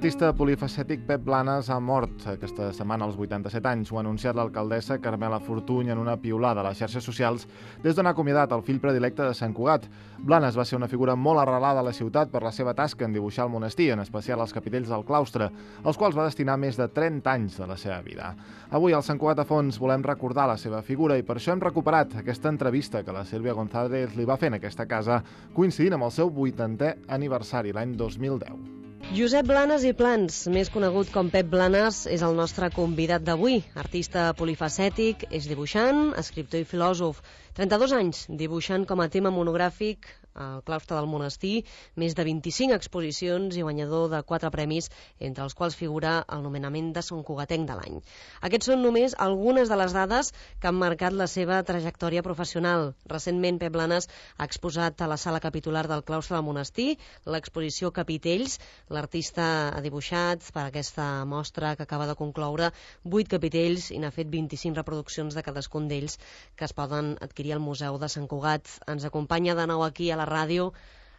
L'artista polifacètic Pep Blanes ha mort aquesta setmana als 87 anys. Ho ha anunciat l'alcaldessa Carmela Fortuny en una piulada a les xarxes socials des d'on ha acomiadat el fill predilecte de Sant Cugat. Blanes va ser una figura molt arrelada a la ciutat per la seva tasca en dibuixar el monestir, en especial els capitells del claustre, als quals va destinar més de 30 anys de la seva vida. Avui al Sant Cugat a Fons volem recordar la seva figura i per això hem recuperat aquesta entrevista que la Sílvia González li va fer en aquesta casa, coincidint amb el seu 80è aniversari, l'any 2010. Josep Blanes i Plans, més conegut com Pep Blanes, és el nostre convidat d'avui. Artista polifacètic, és dibuixant, escriptor i filòsof. 32 anys dibuixant com a tema monogràfic al claustre del monestir, més de 25 exposicions i guanyador de 4 premis, entre els quals figura el nomenament de Sant Cugatenc de l'any. Aquests són només algunes de les dades que han marcat la seva trajectòria professional. Recentment, Pep Blanes ha exposat a la sala capitular del claustre del monestir l'exposició Capitells. L'artista ha dibuixat per aquesta mostra que acaba de concloure 8 capitells i n'ha fet 25 reproduccions de cadascun d'ells que es poden adquirir al Museu de Sant Cugat. Ens acompanya de nou aquí a la ràdio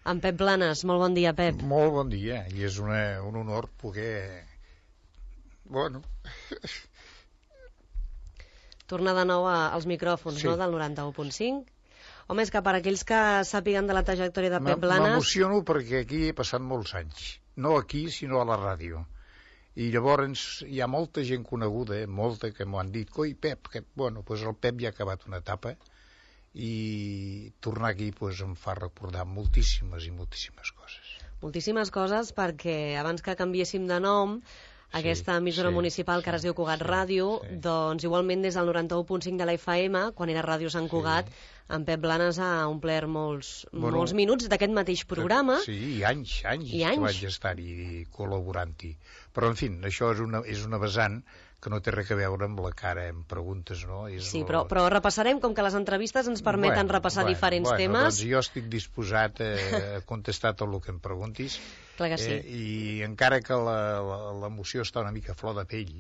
amb Pep Blanes. Molt bon dia, Pep. Molt bon dia, i és un honor poder... Bueno... Tornar de nou als micròfons, sí. No?, del 91.5. Home, és que per aquells que sàpiguen de la trajectòria de Pep Blanes... M'emociono perquè aquí he passat molts anys. No aquí, sinó a la ràdio. I llavors hi ha molta gent coneguda, molta, que m'ho han dit, coi, Pep, que, bueno, doncs el Pep ja ha acabat una etapa, i tornar aquí em fa recordar moltíssimes i moltíssimes coses. Moltíssimes coses, perquè abans que canviéssim de nom, aquesta emissora municipal que ara es diu Cugat Ràdio, doncs igualment des del 91.5 de la FM, quan era Ràdio Sant Cugat, en Pep Blanes ha omplert molts minuts d'aquest mateix programa. Sí, i anys que vaig estar-hi col·laborant-hi. Però, en fi, això és una vessant que no té res a veure amb la cara, em preguntes, no? Sí, però repassarem, com que les entrevistes ens permeten repassar diferents temes. Doncs jo estic disposat a contestar tot el que em preguntis. Clar que sí. I encara que l'emoció està una mica a flor de pell,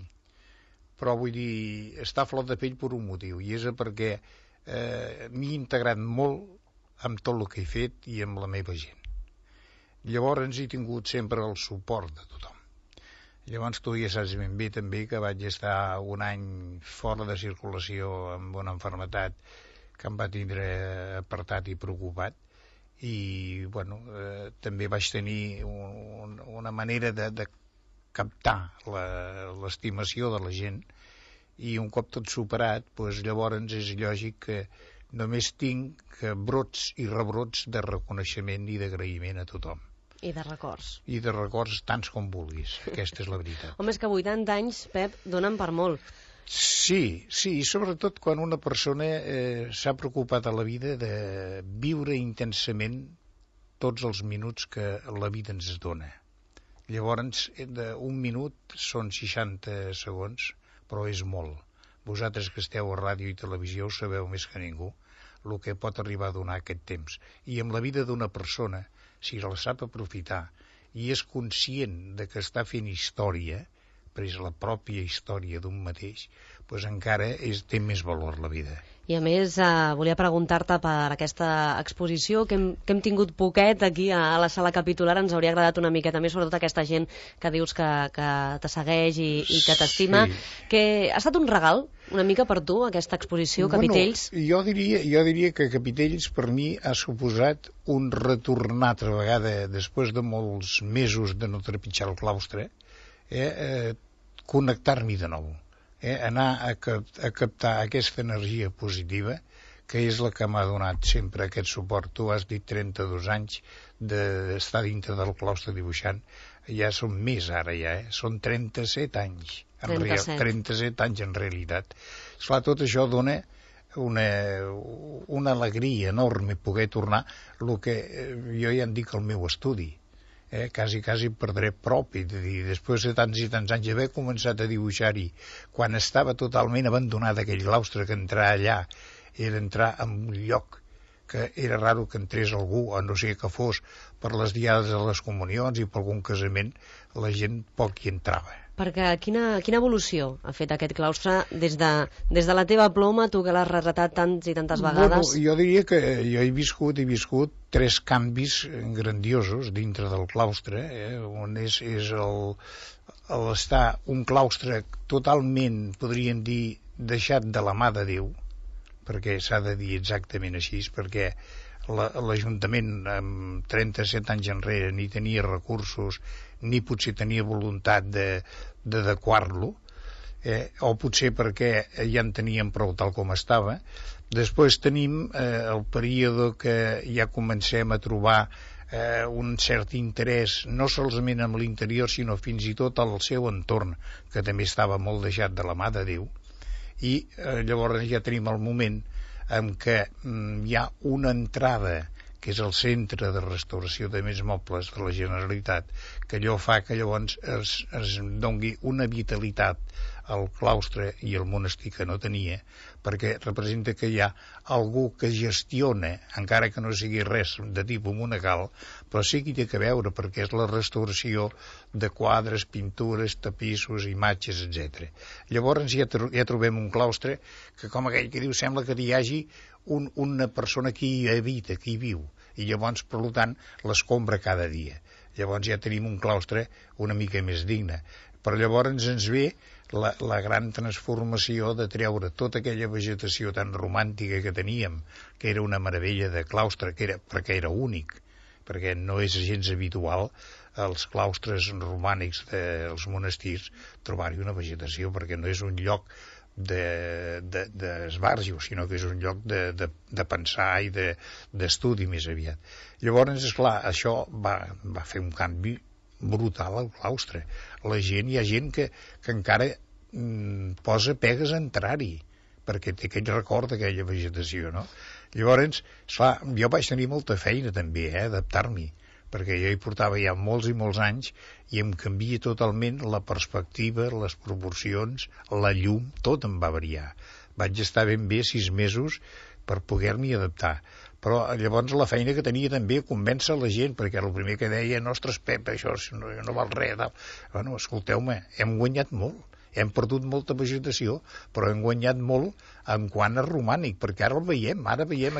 però vull dir, està a flor de pell per un motiu, i és perquè m'he integrat molt amb tot el que he fet i amb la meva gent. Llavors he tingut sempre el suport de tothom. Llavors tu ja saps ben bé també que vaig estar un any fora de circulació amb una malaltia que em va tindre apartat i preocupat, i bueno, també vaig tenir una manera de captar l'estimació de la gent, i un cop tot superat, doncs llavors és lògic que només tinc brots i rebrots de reconeixement i d'agraïment a tothom. I de records. I de records tants com vulguis, aquesta és la veritat. Home, és que 80 anys, Pep, donen per molt. Sí, i sobretot quan una persona s'ha preocupat a la vida de viure intensament tots els minuts que la vida ens dona. Llavors, un minut són 60 segons, però és molt. Vosaltres que esteu a ràdio i televisió ho sabeu més que ningú, el que pot arribar a donar aquest temps. I amb la vida d'una persona, si la sap aprofitar i és conscient de que està fent història, però és la pròpia història d'un mateix, doncs encara té més valor la vida. I a més, volia preguntar-te per aquesta exposició que hem tingut poquet aquí a la sala capitular. Ens hauria agradat una miqueta més, sobretot aquesta gent que dius que te segueix i que t'estima. Que ha estat un regal una mica per tu, aquesta exposició, Capitells? Jo diria que Capitells per mi ha suposat un retornar altra vegada, després de molts mesos de no trepitjar el claustre, connectar-m'hi de nou. Anar a captar aquesta energia positiva, que és la que m'ha donat sempre aquest suport. Tu has dit 32 anys d'estar dintre del claustre dibuixant, ja són més ara, són 37 anys. 37 anys en realitat. Esclar, tot això dona una alegria enorme poder tornar el que jo ja en dic el meu estudi. Quasi perdré prop, i després de tants i tants anys haver començat a dibuixar-hi quan estava totalment abandonat aquell claustre, que entrar allà era entrar en un lloc que era raro que entrés algú, a no ser que fos per les diades de les comunions i per algun casament, la gent poc hi entrava. Perquè quina evolució ha fet aquest claustre des de la teva ploma, tu que l'has retratat tants i tantes vegades? Bueno, jo diria que jo he viscut 3 canvis grandiosos dintre del claustre, on és estar un claustre totalment, podríem dir, deixat de la mà de Déu, perquè s'ha de dir exactament així, perquè l'Ajuntament amb 37 anys enrere ni tenia recursos ni potser tenia voluntat d'adequar-lo, o potser perquè ja en teníem prou tal com estava. Després tenim el període que ja comencem a trobar un cert interès no solament amb l'interior sinó fins i tot al seu entorn, que també estava molt deixat de la mà de Déu, i llavors ja tenim el moment en què hi ha una entrada que és el Centre de Restauració de Béns Mobles de la Generalitat, que allò fa que llavors es doni una vitalitat al claustre i al monestir que no tenia, perquè representa que hi ha algú que gestiona, encara que no sigui res de tipus monacal, però sí que hi té que veure, perquè és la restauració de quadres, pintures, tapissos, imatges, etc. Llavors ja trobem un claustre que, com aquell que diu, sembla que hi hagi una persona que hi habita, que hi viu, i llavors, per tant, l'escombra cada dia. Llavors ja tenim un claustre una mica més digne. Però llavors ens ve la gran transformació de treure tota aquella vegetació tan romàntica que teníem, que era una meravella de claustre, perquè era únic, perquè no és gens habitual als claustres romànics dels monestirs trobar-hi una vegetació, perquè no és un lloc d'esbarjo, sinó que és un lloc de pensar i d'estudi més aviat. Llavors, esclar, això va fer un canvi brutal al claustre. Hi ha gent que encara posa pegues a entrar-hi, perquè té aquell record d'aquella vegetació, no? Llavors, esclar, jo vaig tenir molta feina també, adaptar-m'hi, perquè jo hi portava ja molts i molts anys i em canvia totalment la perspectiva, les proporcions, la llum, tot em va variar. Vaig estar ben bé 6 mesos per poder-m'hi adaptar. Però llavors la feina que tenia també convèncer la gent, perquè el primer que deia, ostres, Pep, això no val res. Bueno, escolteu-me, hem guanyat molt. Hem perdut molta vegetació, però hem guanyat molt en quant a romànic, perquè ara veiem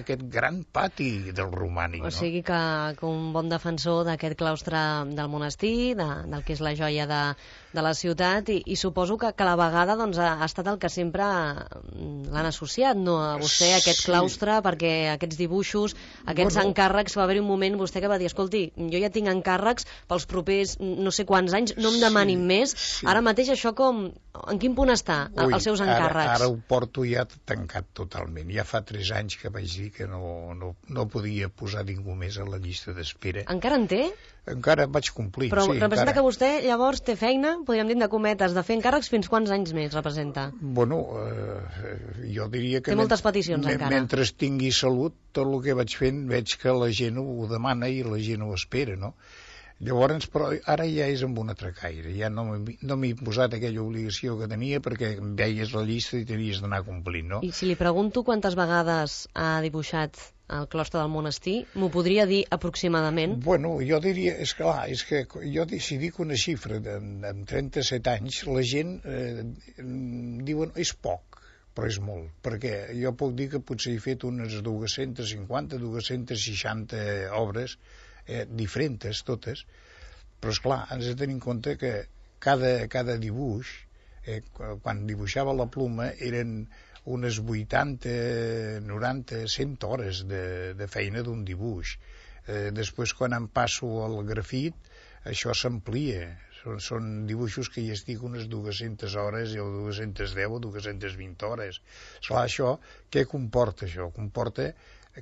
aquest gran pati del romànic. O sigui que un bon defensor d'aquest claustre del monestir, del que és la joia de la ciutat, i suposo que a la vegada doncs, ha estat el que sempre l'han associat, no, a vostè, aquest claustre, perquè aquests dibuixos, aquests encàrrecs, va haver-hi un moment vostè que va dir, escolti, jo ja tinc encàrrecs pels propers no sé quants anys, no em demanin més, ara mateix això en quin punt està, els seus encàrrecs? Ara ho porto ja tancat totalment. Ja fa 3 anys que vaig dir que no podia posar ningú més a la llista d'espera. Encara en té? Encara vaig complir, però sí. Però representa que vostè llavors té feina, podríem dir de cometes, de fer encàrrecs fins quants anys més representa? Bueno, jo diria que... Té moltes peticions encara. Mentre tingui salut, tot el que vaig fent veig que la gent ho demana i la gent ho espera, no? Llavors, però ara ja és amb un altre caire, ja no m'he posat aquella obligació que tenia perquè veies la llista i tenies d'anar complint, no? I si li pregunto quantes vegades ha dibuixat el claustre del monestir, m'ho podria dir aproximadament? Bueno, jo diria, és que jo si dic una xifra amb 37 anys, la gent diuen és poc, però és molt, perquè jo puc dir que potser he fet unes 250, 260 obres diferents totes, però esclar, ens hem de tenir en compte que cada dibuix, quan dibuixava la pluma, eren unes 80, 90, 100 hores de feina d'un dibuix. Després, quan em passo al grafit, això s'amplia. Són dibuixos que hi estic unes 200 hores o 210 o 220 hores. Esclar, això, què comporta això? Comporta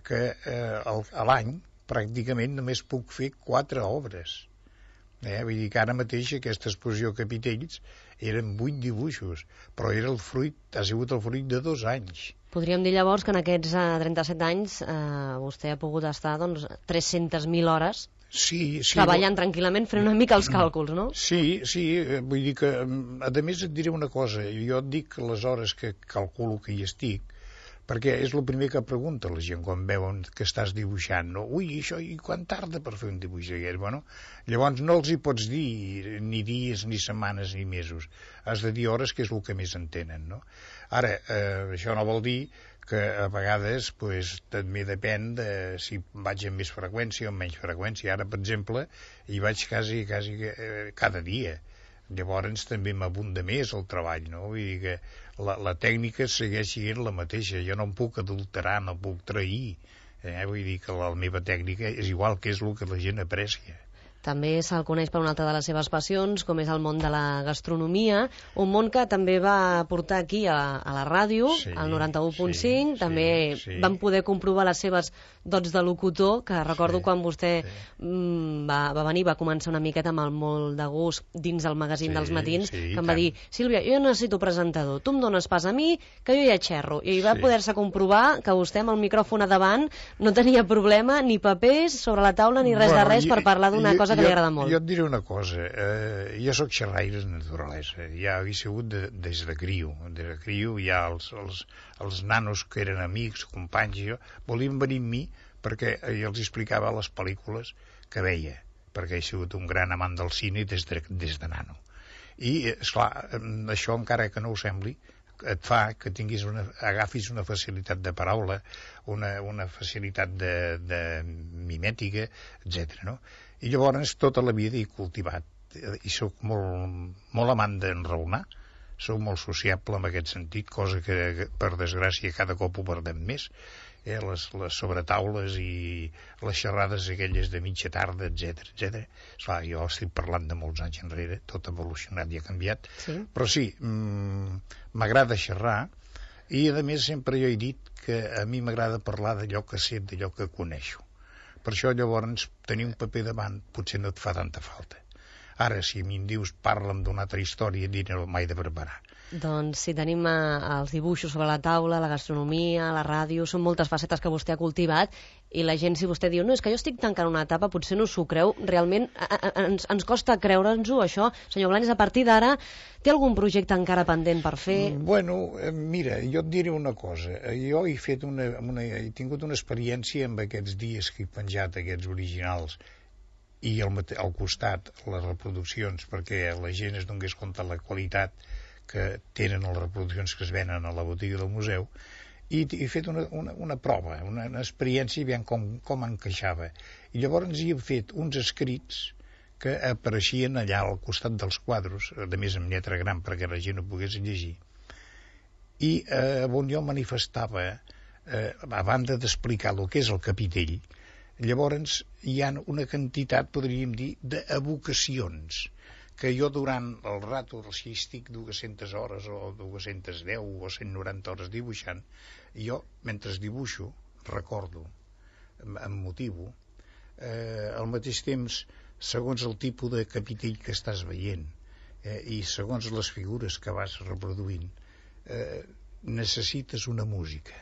que a l'any pràcticament només puc fer 4 obres. Vull dir que ara mateix aquesta exposició Capitells eren 8 dibuixos, però ha sigut el fruit de 2 anys. Podríem dir llavors que en aquests 37 anys vostè ha pogut estar 300.000 hores treballant tranquil·lament, fent una mica els càlculs, no? Sí, vull dir que, a més et diré una cosa, jo et dic les hores que calculo que hi estic, perquè és el primer que pregunta la gent quan veuen que estàs dibuixant, no? Ui, això, i quan tarda per fer un dibuix aquest? Bueno, llavors no els hi pots dir ni dies, ni setmanes, ni mesos. Has de dir hores, que és el que més entenen, no? Ara, això no vol dir que a vegades pues, també depèn de si vaig amb més freqüència o amb menys freqüència. Ara, per exemple, hi vaig quasi cada dia. Llavors també m'abunda més el treball, no? Vull dir que la tècnica segueix sent la mateixa. Jo no em puc adulterar, no puc trair. Vull dir que la meva tècnica és igual, que és el que la gent aprecia. També se'l coneix per una altra de les seves passions, com és el món de la gastronomia, un món que també va portar aquí a la ràdio, al 91.5, també van poder comprovar les seves dots de locutor, que recordo quan vostè va venir, va començar una miqueta amb el molt de gust dins el magazín dels matins, que em va dir, Sílvia, jo necessito presentador, tu em dones pas a mi, que jo ja xerro. I va poder-se comprovar que vostè amb el micròfon a davant no tenia problema, ni papers sobre la taula, ni res de res per parlar d'una cosa que li agrada molt. Jo et diré una cosa, jo sóc xerraire de naturalesa, ja he sigut des de criu. Des de criu ja els nanos que eren amics, companys, volien venir amb mi perquè jo els explicava les pel·lícules que veia, perquè he sigut un gran amant del cine des de nano. I, esclar, això encara que no ho sembli, et fa que agafis una facilitat de paraula, una facilitat de mimètica, etc. No? I llavors tota la vida he cultivat, i sóc molt amant d'enraonar, sóc molt sociable en aquest sentit, cosa que per desgràcia cada cop ho perdem més, les sobretaules i les xerrades aquelles de mitja tarda, etc. Esclar, jo estic parlant de molts anys enrere, tot ha evolucionat i ha canviat, però sí, m'agrada xerrar, i a més sempre jo he dit que a mi m'agrada parlar d'allò que sé, d'allò que coneixo. Per això llavors tenir un paper davant potser no et fa tanta falta. Ara, si a mi em dius parla'm d'una altra història, no mai de preparar. Doncs si tenim els dibuixos sobre la taula, la gastronomia, la ràdio, són moltes facetes que vostè ha cultivat, i la gent, si vostè diu, no, és que jo estic tancant una etapa, potser no s'ho creu, realment ens costa creure'ns-ho, això. Senyor Blanes, a partir d'ara, té algun projecte encara pendent per fer? Bueno, mira, jo et diré una cosa. Jo he tingut una experiència amb aquests dies que he penjat, aquests originals, i al costat les reproduccions, perquè la gent es donés compte de la qualitat que tenen les reproduccions que es venen a la botiga del museu, i he fet una prova, una experiència, veient com encaixava. I llavors hi he fet uns escrits que apareixien allà al costat dels quadros, a més en lletra gran perquè la gent ho pogués llegir, i on jo manifestava, a banda d'explicar el que és el capitell, llavors hi ha una quantitat, podríem dir, d'evocacions, que jo durant el rato, si estic 200 hores o 210 o 190 hores dibuixant, jo, mentre dibuixo, recordo, em motivo, al mateix temps, segons el tipus de capitell que estàs veient i segons les figures que vas reproduint, necessites una música.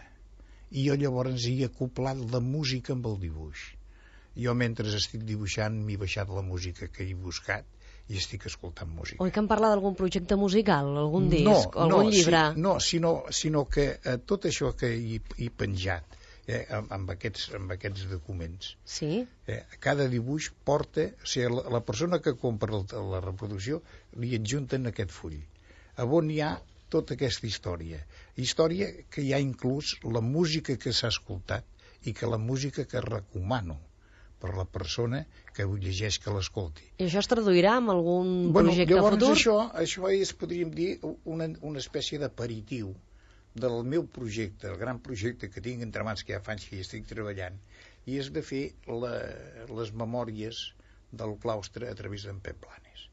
I jo llavors hi he acoplat la música amb el dibuix. Jo, mentre estic dibuixant, m'he baixat la música que he buscat i estic escoltant música. Oi que em parla d'algun projecte musical, algun disc, algun llibre? Sinó que tot això que he penjat amb aquests documents, cada dibuix porta, o sigui, la persona que compra la reproducció li adjunten aquest full, on hi ha tota aquesta història que hi ha inclús la música que s'ha escoltat i que la música que recomano per la persona que ho llegeix, que l'escolti. I això es traduirà en algun projecte futur? Això és, podríem dir, una espècie d'aperitiu del meu projecte, el gran projecte que tinc entre mans, que ja fa anys que hi estic treballant, i és de fer les memòries del claustre a través d'en Pep Blanes.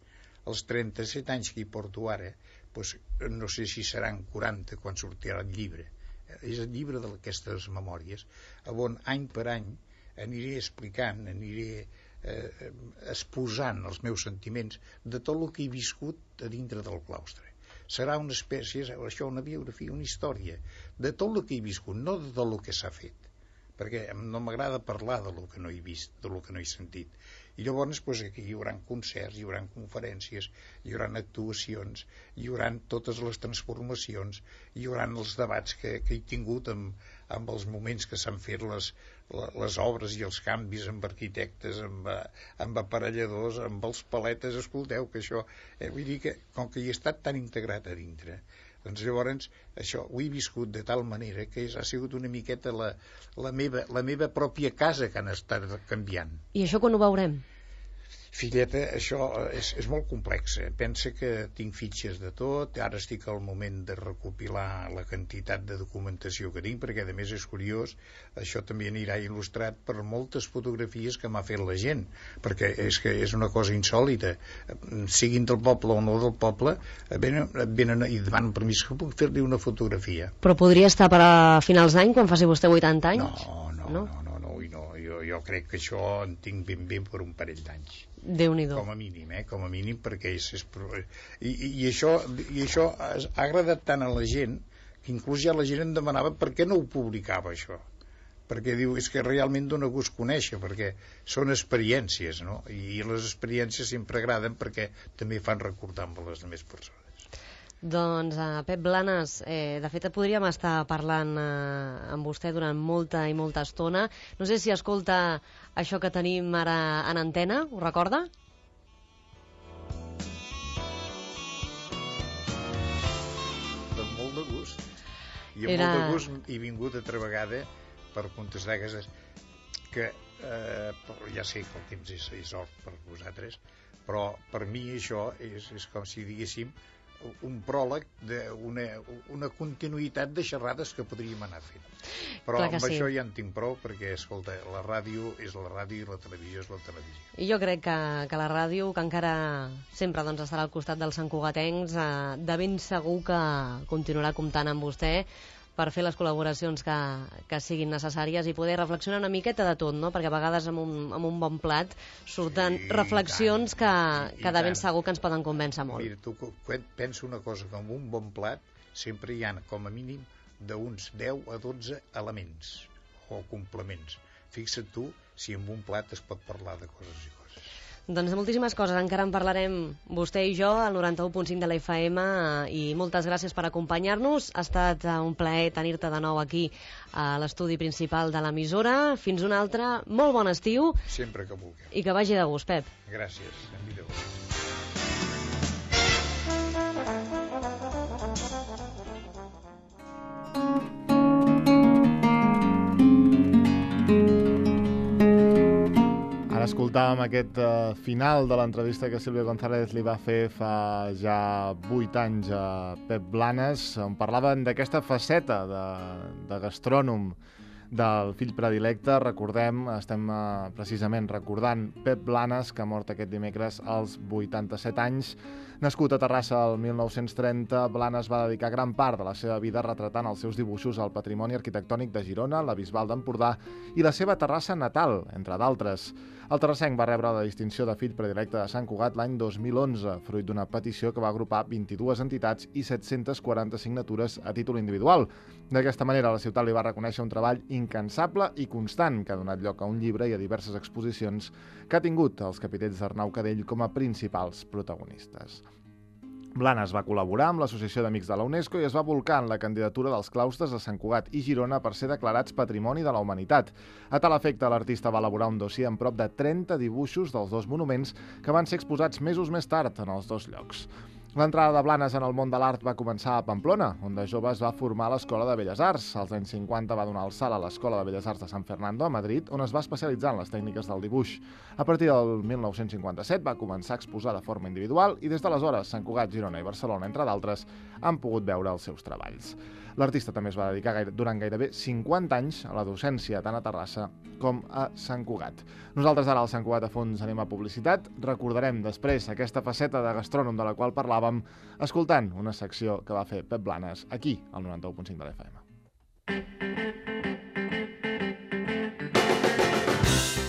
Els 37 anys que hi porto ara, doncs, no sé si seran 40 quan sortirà el llibre. És el llibre d'aquestes memòries, on any per any aniré explicant, aniré exposant els meus sentiments de tot el que he viscut a dintre del claustre. Serà una espècie, això, una biografia, una història de tot el que he viscut, no de tot el que s'ha fet, perquè no m'agrada parlar de lo que no he vist, de lo que no he sentit. I llavors aquí hi haurà concerts, hi haurà conferències, hi haurà actuacions, hi haurà totes les transformacions, hi haurà els debats que he tingut amb els moments que s'han fet les obres i els canvis amb arquitectes, amb aparelladors, amb els paletes. Escolteu, que això, vull dir que com que hi he estat tan integrat a dintre, doncs llavors això ho he viscut de tal manera que ha sigut una miqueta la meva pròpia casa que han estat canviant. I això quan ho veurem? Filleta, això és molt complex. Pensa que tinc fitxes de tot, ara estic al moment de recopilar la quantitat de documentació que tinc, perquè a més és curiós, això també anirà il·lustrat per moltes fotografies que m'ha fet la gent, perquè és que és una cosa insòlita. Siguin del poble o no del poble, venen i demanen permís que puc fer-li una fotografia. Però podria estar per a finals d'any, quan faci vostè 80 anys? No. Jo crec que això en tinc ben per un parell d'anys. Déu-n'hi-do. Com a mínim, perquè i això ha agradat tant a la gent que inclús ja la gent em demanava per què no ho publicava, això, perquè diu, és que realment dona gust conèixer, perquè són experiències, no? I les experiències sempre agraden perquè també fan recordar amb les altres persones. Doncs, Pep Blanes, de fet podríem estar parlant amb vostè durant molta i molta estona. No sé si escolta això que tenim ara en antena, ho recorda? Amb molt de gust. I amb molt de gust he vingut altra vegada per contestar aquestes que ja sé que el temps és or per vosaltres, però per mi això és com si diguéssim un pròleg d'una continuïtat de xerrades que podríem anar fent. Però amb això ja en tinc prou, perquè, escolta, la ràdio és la ràdio i la televisió és la televisió. I jo crec que la ràdio, que encara sempre estarà al costat dels santcugatencs, de ben segur que continuarà comptant amb vostè per fer les col·laboracions que siguin necessàries i poder reflexionar una miqueta de tot, no? Perquè a vegades amb un bon plat surten reflexions que de ben segur que ens poden convèncer molt. Mira, tu pensa una cosa, que amb un bon plat sempre hi ha com a mínim d'uns 10 a 12 elements o complements. Fixa't tu si amb un plat es pot parlar de coses i coses. Doncs de moltíssimes coses, encara en parlarem vostè i jo al 91.5 de la FM i moltes gràcies per acompanyar-nos. Ha estat un plaer tenir-te de nou aquí a l'estudi principal de l'emissora. Fins un altre, molt bon estiu. Sempre que vulgueu. I que vagi de gust, Pep. Gràcies, en vida. Escoltàvem aquest final de l'entrevista que Sílvia González li va fer fa ja 8 anys a Pep Blanes, on parlaven d'aquesta faceta de gastrònom del fill predilecte. Recordem, estem precisament recordant Pep Blanes, que ha mort aquest dimecres als 87 anys. Nascut a Terrassa el 1930, Blanes va dedicar gran part de la seva vida retratant els seus dibuixos al patrimoni arquitectònic de Girona, la Bisbal d'Empordà i la seva Terrassa natal, entre d'altres. El terrassenc va rebre la distinció de fill predilecte de Sant Cugat l'any 2011, fruit d'una petició que va agrupar 22 entitats i 740 signatures a títol individual. D'aquesta manera, la ciutat li va reconèixer un treball incansable i constant que ha donat lloc a un llibre i a diverses exposicions que ha tingut els capitells d'Arnau Cadell com a principals protagonistes. Blanes va col·laborar amb l'Associació d'Amics de la UNESCO i es va volcar en la candidatura dels claustres de Sant Cugat i Girona per ser declarats Patrimoni de la Humanitat. A tal efecte, l'artista va elaborar un dossier amb prop de 30 dibuixos dels dos monuments que van ser exposats mesos més tard en els dos llocs. L'entrada de Blanes en el món de l'art va començar a Pamplona, on de jove es va formar a l'Escola de Belles Arts. Als anys 50 va donar el salt a l'Escola de Belles Arts de San Fernando, a Madrid, on es va especialitzar en les tècniques del dibuix. A partir del 1957 va començar a exposar de forma individual i des d'aleshores Sant Cugat, Girona i Barcelona, entre d'altres, han pogut veure els seus treballs. L'artista també es va dedicar durant gairebé 50 anys a la docència tant a Terrassa com a Sant Cugat. Nosaltres ara al Sant Cugat a fons anem a publicitat. Recordarem després aquesta faceta de gastrònom de la qual parlàvem escoltant una secció que va fer Pep Blanes aquí al 91.5 de l'FM.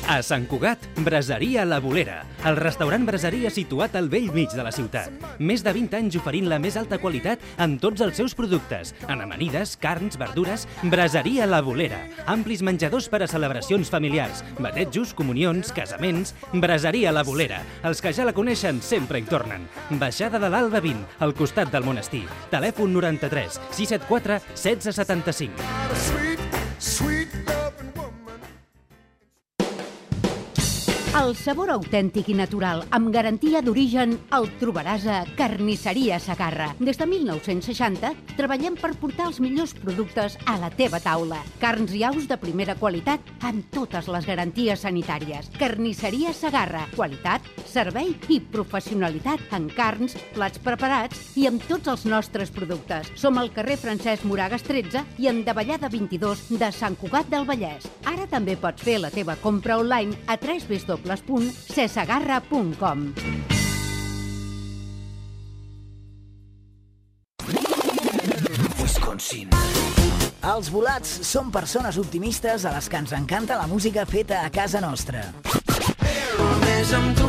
A Sant Cugat, Braseria La Bolera, el restaurant braseria situat al vell mig de la ciutat. Més de 20 anys oferint la més alta qualitat en tots els seus productes, en amanides, carns, verdures. Braseria La Bolera, amplis menjadors per a celebracions familiars, batejos, comunions, casaments. Braseria La Bolera, els que ja la coneixen sempre hi tornen. Baixada de l'Alba 20, al costat del monestir. Telèfon 93 674 1675. El sabor autèntic i natural, amb garantia d'origen, el trobaràs a Carnisseria Segarra. Des de 1960 treballem per portar els millors productes a la teva taula. Carns i aus de primera qualitat amb totes les garanties sanitàries. Carnisseria Segarra. Qualitat, servei i professionalitat en carns, plats preparats i amb tots els nostres productes. Som al carrer Francesc Moragas 13 i en Davallada 22 de Sant Cugat del Vallès. Ara també pots fer la teva compra online a www.cesegarra.com. Wisconsin. Els volats són persones optimistes a les que ens encanta la música feta a casa nostra. Només amb tu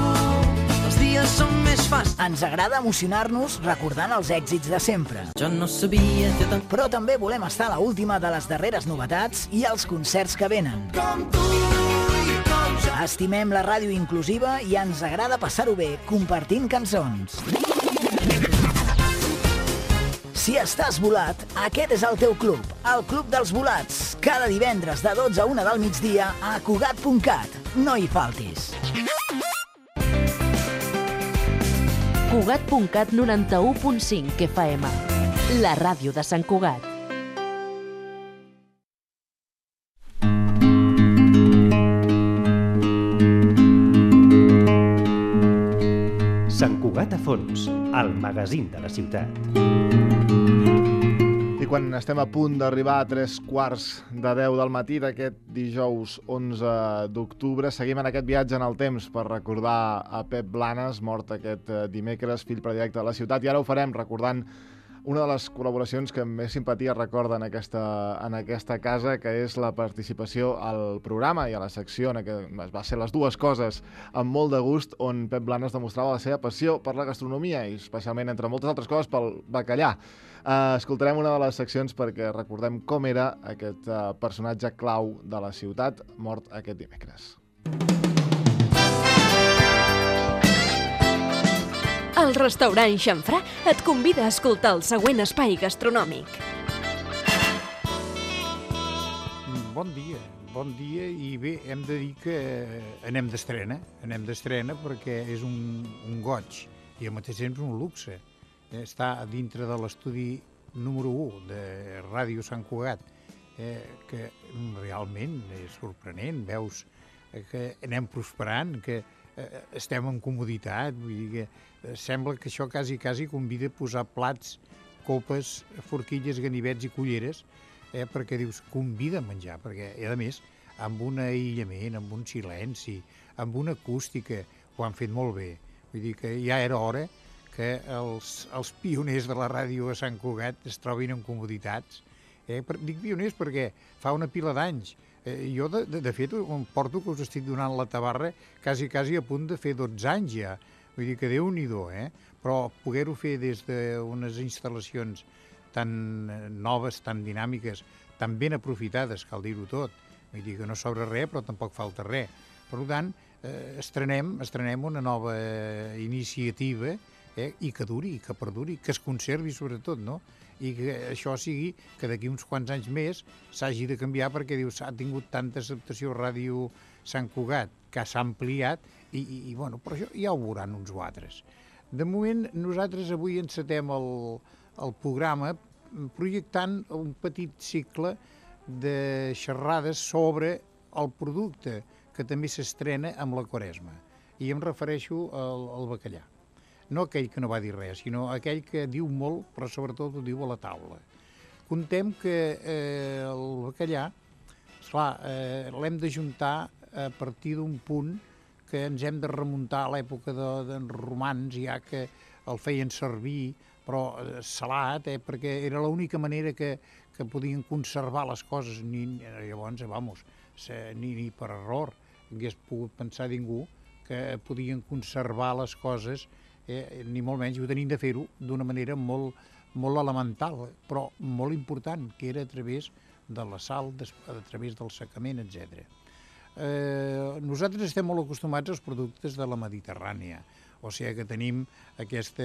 els dies són més fàcils. Ens agrada emocionar-nos recordant els èxits de sempre. Jo no sabia que tant... Però també volem estar a l'última de les darreres novetats i els concerts que venen. Com tu i com jo. Estimem la ràdio inclusiva i ens agrada passar-ho bé compartint cançons. Si estàs volat, aquest és el teu club, el Club dels Volats. Cada divendres de 12 a 1 del migdia a Cugat.cat. No hi faltis. Cugat.cat 91.5 FM. La ràdio de Sant Cugat. Sant Cugat a fons, el magazín de la ciutat. I quan estem a punt d'arribar a 3:15 del matí d'aquest dijous 11 d'octubre, seguim en aquest viatge en el temps per recordar a Pep Blanes, mort aquest dimecres, fill predilecte de la ciutat, i ara ho farem recordant una de les col·laboracions que més simpatia recorda en aquesta casa, que és la participació al programa i a la secció, que va ser les dues coses amb molt de gust, on Pep Blanes demostrava la seva passió per la gastronomia i especialment, entre moltes altres coses, pel bacallà. Escoltarem una de les seccions perquè recordem com era aquest personatge clau de la ciutat, mort aquest dimecres. El restaurant Xamfrà et convida a escoltar el següent espai gastronòmic. Bon dia i bé, hem de dir que anem d'estrena perquè és un goig i al mateix temps un luxe. Està dintre de l'estudi número 1 de Ràdio Sant Cugat, que realment és sorprenent, veus que anem prosperant, que estem en comoditat, vull dir que sembla que això quasi convida a posar plats, copes, forquilles, ganivets i culleres, perquè dius, convida a menjar, perquè a més, amb un aïllament, amb un silenci, amb una acústica, ho han fet molt bé. Vull dir que ja era hora que els pioners de la ràdio a Sant Cugat es trobin en comoditats. Dic pioners perquè fa una pila d'anys. Jo, de fet, em porto que us estic donant la tabarra quasi a punt de fer 12 anys ja. Vull dir que Déu-n'hi-do, Però poder-ho fer des d'unes instal·lacions tan noves, tan dinàmiques, tan ben aprofitades, cal dir-ho tot. Vull dir que no sobra res, però tampoc falta res. Per tant, estrenem una nova iniciativa i que duri, i que perduri, que es conservi sobretot, no? I que això sigui que d'aquí uns quants anys més s'hagi de canviar perquè dius, ha tingut tanta acceptació Ràdio Sant Cugat que s'ha ampliat i bueno, però això ja ho veuran uns o altres. De moment, nosaltres avui encetem el programa projectant un petit cicle de xerrades sobre el producte que també s'estrena amb la Quaresma. I em refereixo al bacallà. No aquell que no va dir res, sinó aquell que diu molt, però sobretot ho diu a la taula. Contem que el bacallà, esclar, l'hem d'ajuntar a partir d'un punt que ens hem de remuntar a l'època dels romans, ja que el feien servir, però salat, perquè era l'única manera que podien conservar les coses. Llavors, ni per error, hagués pogut pensar ningú que podien conservar les coses, ni molt menys, i ho tenim de fer-ho d'una manera molt elemental, però molt important, que era a través de la sal, a través del secament, etc. Nosaltres estem molt acostumats als productes de la Mediterrània, o sigui que tenim aquest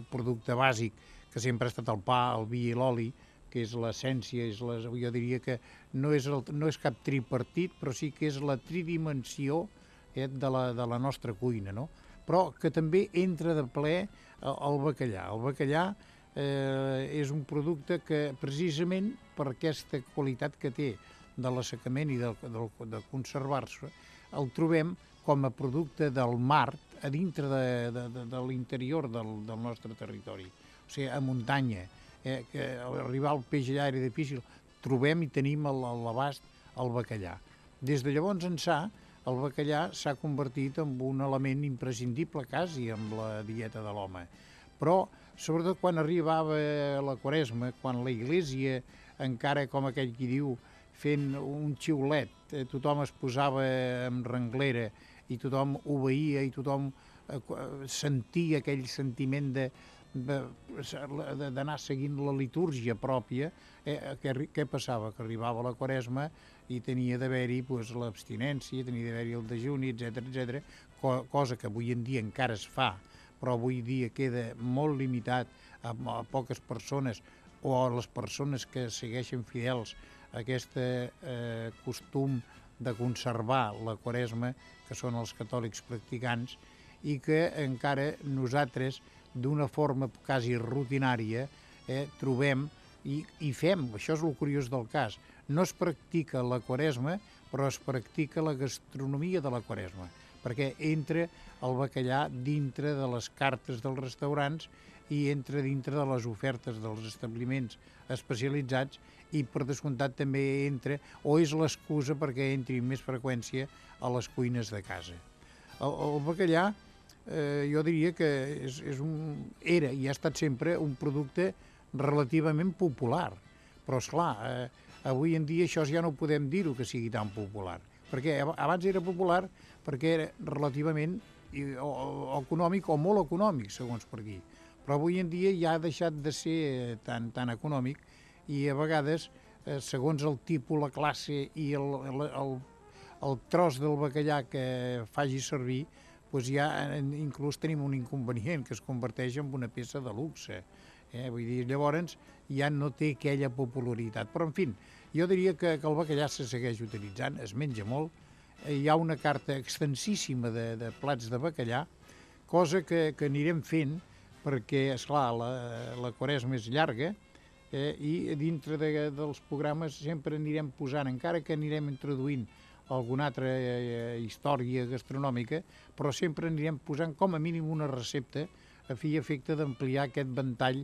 producte bàsic que sempre ha estat el pa, el vi i l'oli, que és l'essència, jo diria que no és cap tripartit, però sí que és la tridimensió de la nostra cuina, no? Però que també entra de ple el bacallà. El bacallà és un producte que, precisament per aquesta qualitat que té de l'assecament i de conservar-se, el trobem com a producte del mar a dintre de l'interior del nostre territori. O sigui, a muntanya, que arribar al peix allà era difícil, trobem i tenim a l'abast el bacallà. Des de llavors ençà, el bacallà s'ha convertit en un element imprescindible quasi amb la dieta de l'home. Però, sobretot quan arribava la Quaresma, quan la Iglésia, encara com aquell qui diu, fent un xiulet, tothom es posava en renglera i tothom obeïa i tothom sentia aquell sentiment d'anar seguint la litúrgia pròpia, què passava? Que arribava la Quaresma i tenia d'haver-hi l'abstinència, tenia d'haver-hi el dejuni, etc., cosa que avui en dia encara es fa, però avui dia queda molt limitat a poques persones o a les persones que segueixen fidels a aquest costum de conservar la Quaresma, que són els catòlics practicants, i que encara nosaltres, d'una forma quasi rutinària, trobem i fem. Això és el curiós del cas. No es practica la Quaresma, però es practica la gastronomia de la Quaresma, perquè entra el bacallà dintre de les cartes dels restaurants i entra dintre de les ofertes dels establiments especialitzats i, per descomptat, també entra, o és l'excusa perquè entri amb més freqüència a les cuines de casa. El bacallà, jo diria que era i ha estat sempre un producte relativament popular, però, esclar, avui en dia això ja no podem dir-ho que sigui tan popular, perquè abans era popular perquè era relativament econòmic o molt econòmic, segons per aquí, però avui en dia ja ha deixat de ser tan econòmic i a vegades, segons el tipus, la classe i el tros del bacallà que faci servir, doncs ja inclús tenim un inconvenient que es converteix en una peça de luxe. Vull dir, llavors ja no té aquella popularitat. Però, en fi, jo diria que el bacallà se segueix utilitzant, es menja molt. Hi ha una carta extensíssima de plats de bacallà, cosa que anirem fent perquè, esclar, la Quaresma és llarga i dintre dels programes sempre anirem posant, encara que anirem introduint alguna altra història gastronòmica, però sempre anirem posant com a mínim una recepta a fi i efecte d'ampliar aquest ventall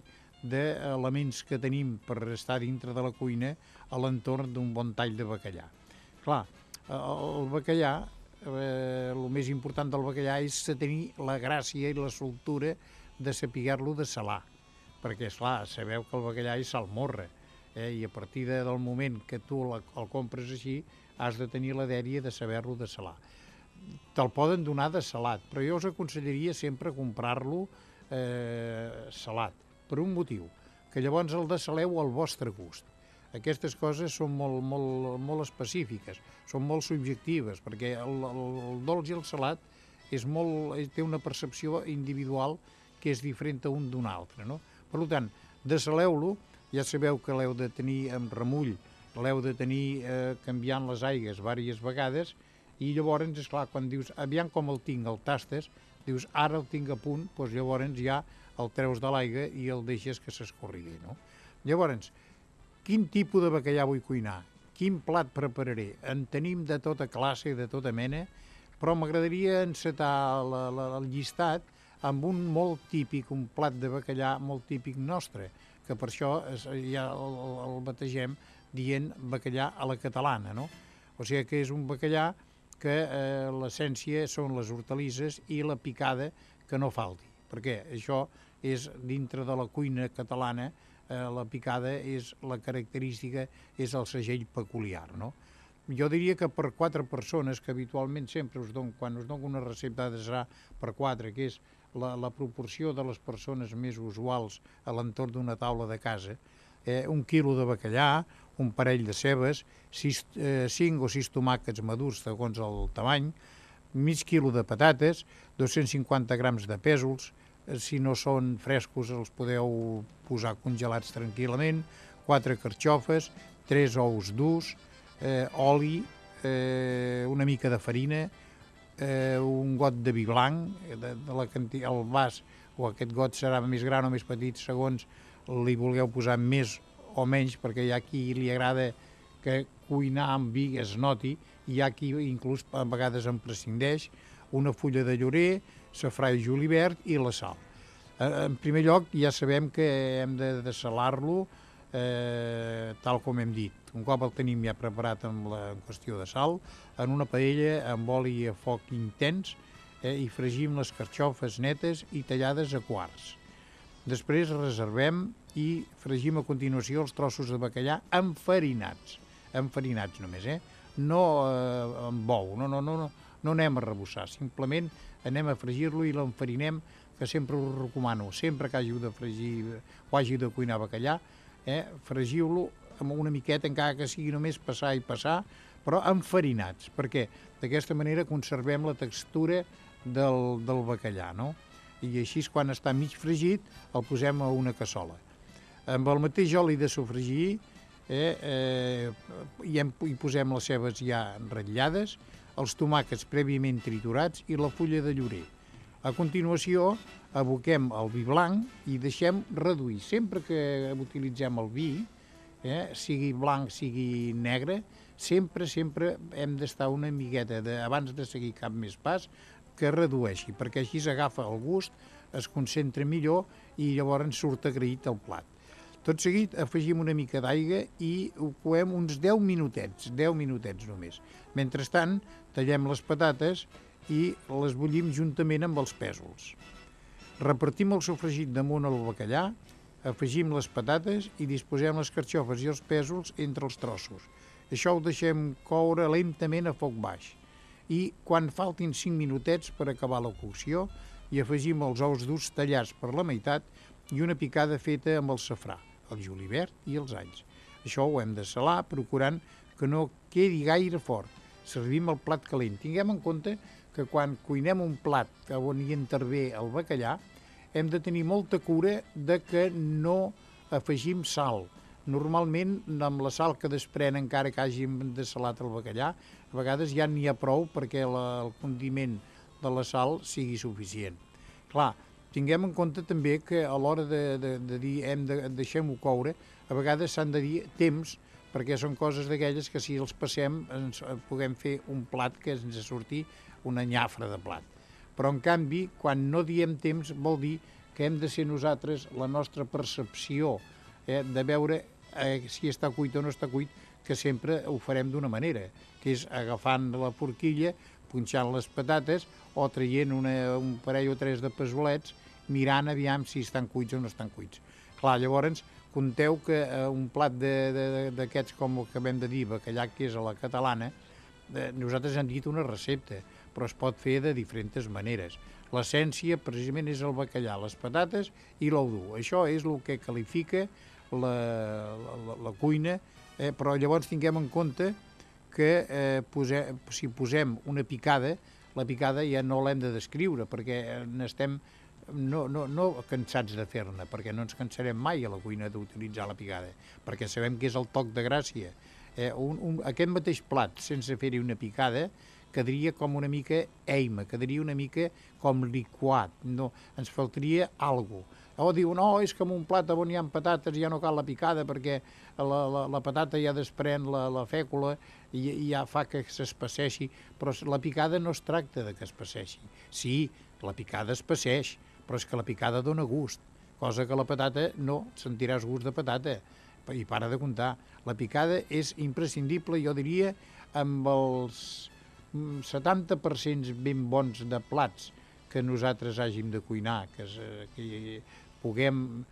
d'elements que tenim per estar dintre de la cuina a l'entorn d'un bon tall de bacallà. Clar, el bacallà, el més important del bacallà és tenir la gràcia i la soltura de saber-lo de salar, perquè, esclar, sabeu que el bacallà és salmorra, i a partir del moment que tu el compres així, has de tenir la dèria de saber-lo de salar. Te'l poden donar de salat, però jo us aconsellaria sempre comprar-lo salat, per un motiu, que llavors el desaleu al vostre gust. Aquestes coses són molt específiques, són molt subjectives, perquè el dolç i el salat té una percepció individual que és diferent a un d'un altre, no? Per tant, desaleu-lo, ja sabeu que l'heu de tenir amb remull, l'heu de tenir canviant les aigues diverses vegades, i llavors, esclar, quan dius, aviam com el tinc, el tastes, dius, ara el tinc a punt, doncs llavors ja el treus de l'aigua i el deixes que s'escorrigui, no? Llavors, quin tipus de bacallà vull cuinar? Quin plat prepararé? En tenim de tota classe, de tota mena, però m'agradaria encetar el llistat amb un molt típic, un plat de bacallà molt típic nostre, que per això ja el bategem dient bacallà a la catalana, no? O sigui que és un bacallà que l'essència són les hortalisses i la picada que no falti, perquè això és dintre de la cuina catalana, la picada és la característica, és el segell peculiar, no? Jo diria que per 4 persones, que habitualment sempre quan us dono una recepta serà per 4, que és la proporció de les persones més usuals a l'entorn d'una taula de casa, 1 quilo de bacallà, un parell de cebes, 5 o 6 tomàquets madurs segons el tamany, mig quilo de patates, 250 grams de pèsols, si no són frescos els podeu posar congelats tranquil·lament, 4 carxofes, 3 ous durs, oli, una mica de farina, un got de vi blanc, el vas o aquest got serà més gran o més petit segons li vulgueu posar més o menys, perquè hi ha qui li agrada que cuinar amb vi es noti, i hi ha qui inclús a vegades en prescindeix, una fulla de llorer, safrà i julivert i la sal. En primer lloc ja sabem que hem de salar-lo tal com hem dit. Un cop el tenim ja preparat en qüestió de sal, en una paella amb oli a foc intens i fregim les carxofes netes i tallades a quarts. Després reservem i fregim a continuació els trossos de bacallà enfarinats només, no amb bou, no anem a rebussar, simplement anem a fregir-lo i l'enfarinem, que sempre us recomano, sempre que hàgiu de fregir o hàgiu de cuinar bacallà, fregiu-lo amb una miqueta, encara que sigui només passar i passar, però enfarinats, perquè d'aquesta manera conservem la textura del bacallà, no? I així, quan està mig fregit, el posem a una cassola. Amb el mateix oli de sofregir hi posem les cebes ja ratllades, els tomàquets prèviament triturats i la fulla de llorer. A continuació, aboquem el vi blanc i deixem reduir. Sempre que utilitzem el vi, sigui blanc, sigui negre, sempre hem d'estar una miqueta, abans de seguir cap més pas, que redueixi, perquè així s'agafa el gust, es concentra millor i llavors surt agraït el plat. Tot seguit afegim una mica d'aigua i ho coem uns 10 minutets només. Mentrestant, tallem les patates i les bullim juntament amb els pèsols. Repartim el sofregit damunt el bacallà, afegim les patates i disposem les carxofes i els pèsols entre els trossos. Això ho deixem coure lentament a foc baix. I quan faltin 5 minutets per acabar la cocció, hi afegim els ous durs tallats per la meitat i una picada feta amb el safrà, el julivert i els alls. Això ho hem de salar, procurant que no quedi gaire fort. Servim el plat calent. Tinguem en compte que quan cuinem un plat on hi intervé el bacallà, hem de tenir molta cura de que no afegim sal. Normalment, amb la sal que desprèn, encara que hàgim desalat el bacallà, a vegades ja n'hi ha prou perquè el condiment de la sal sigui suficient. Clar, tinguem en compte també que a l'hora de dir deixem-ho coure, a vegades s'han de dir temps, perquè són coses d'aquelles que si els passem puguem fer un plat que ens surti una nyafra de plat. Però en canvi, quan no diem temps, vol dir que hem de ser nosaltres, la nostra percepció de veure si està cuit o no està cuit, que sempre ho farem d'una manera, que és agafant la forquilla, punxant les patates o traient un parell o 3 de pesolets, mirant aviam si estan cuits o no estan cuits. Clar, llavors, compteu que un plat d'aquests, com el que acabem de dir, bacallà, que és a la catalana, nosaltres hem dit una recepta, però es pot fer de diferents maneres. L'essència, precisament, és el bacallà, les patates i l'ou dur. Això és el que qualifica la cuina, però llavors tinguem en compte que si posem una picada, la picada ja no l'hem de descriure, perquè n'estem no cansats de fer-ne, perquè no ens cansarem mai a la cuina d'utilitzar la picada, perquè sabem que és el toc de gràcia. Aquest mateix plat, sense fer-hi una picada, quedaria com una mica eima, quedaria una mica com liquat, no, ens faltaria alguna cosa. O diu, no, és que en un plat on hi ha patates ja no cal la picada perquè la patata ja desprèn la fècula i ja fa que s'espesseixi, però la picada no es tracta de que espesseixi. Sí, la picada espesseix, però és que la picada dona gust, cosa que la patata no, sentiràs gust de patata, i para de comptar. La picada és imprescindible, jo diria, amb els 70% ben bons de plats que nosaltres hàgim de cuinar, que puguem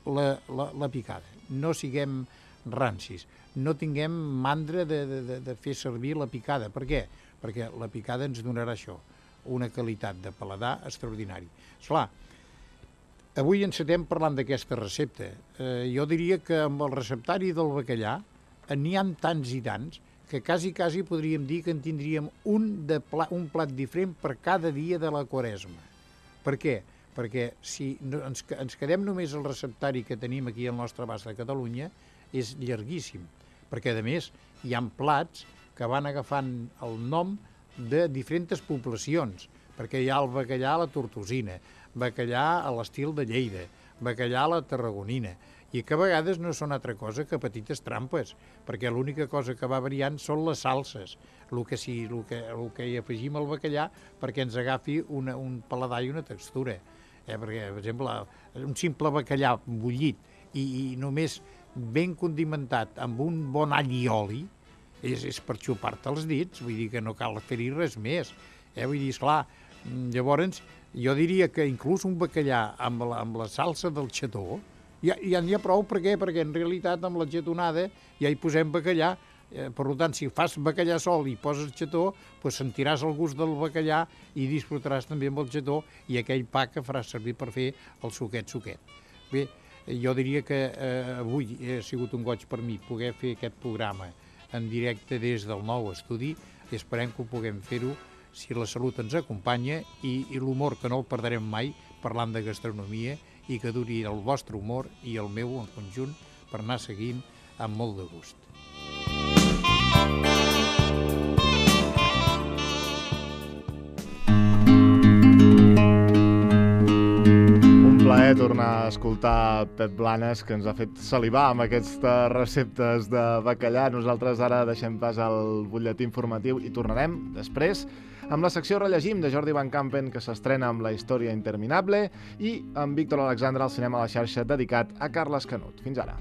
la picada. No siguem rancis. No tinguem mandra de fer servir la picada. Per què? Perquè la picada ens donarà això, una qualitat de paladar extraordinari. Esclar, avui encetem parlant d'aquesta recepta. Jo diria que amb el receptari del bacallà n'hi ha tants i tants que quasi podríem dir que en tindríem un plat diferent per cada dia de la Quaresma. Per què? Perquè si ens quedem només el receptari que tenim aquí al nostre abast de Catalunya, és llarguíssim, perquè a més hi ha plats que van agafant el nom de diferents poblacions, perquè hi ha el bacallà a la tortosina, bacallà a l'estil de Lleida, bacallà a la tarragonina, i que a vegades no són altra cosa que petites trampes, perquè l'única cosa que va variant són les salses, el que hi afegim al bacallà perquè ens agafi un paladar i una textura. Perquè, per exemple, un simple bacallà bullit i només ben condimentat amb un bon all i oli és per xupar-te els dits, vull dir que no cal fer-hi res més. Vull dir, esclar, llavors jo diria que inclús un bacallà amb la salsa del xató ja n'hi ha prou. Per què? Perquè en realitat amb la getonada ja hi posem bacallà. Per tant, si fas bacallà sol i poses xató, doncs sentiràs el gust del bacallà i disfrutaràs també amb el xató i aquell pa que faràs servir per fer el suquet. Bé, jo diria que avui ha sigut un goig per mi poder fer aquest programa en directe des del nou estudi i esperem que ho puguem fer-ho si la salut ens acompanya i l'humor que no el perdrem mai parlant de gastronomia i que duri el vostre humor i el meu en conjunt per anar seguint amb molt de gust. Plaer tornar a escoltar Pep Blanes, que ens ha fet salivar amb aquestes receptes de bacallà. Nosaltres ara deixem pas al butlletí informatiu i tornarem després amb la secció Rellegim de Jordi Van Campen, que s'estrena amb La història interminable, i amb Víctor Alexandre al cinema a la xarxa dedicat a Carles Canut. Fins ara.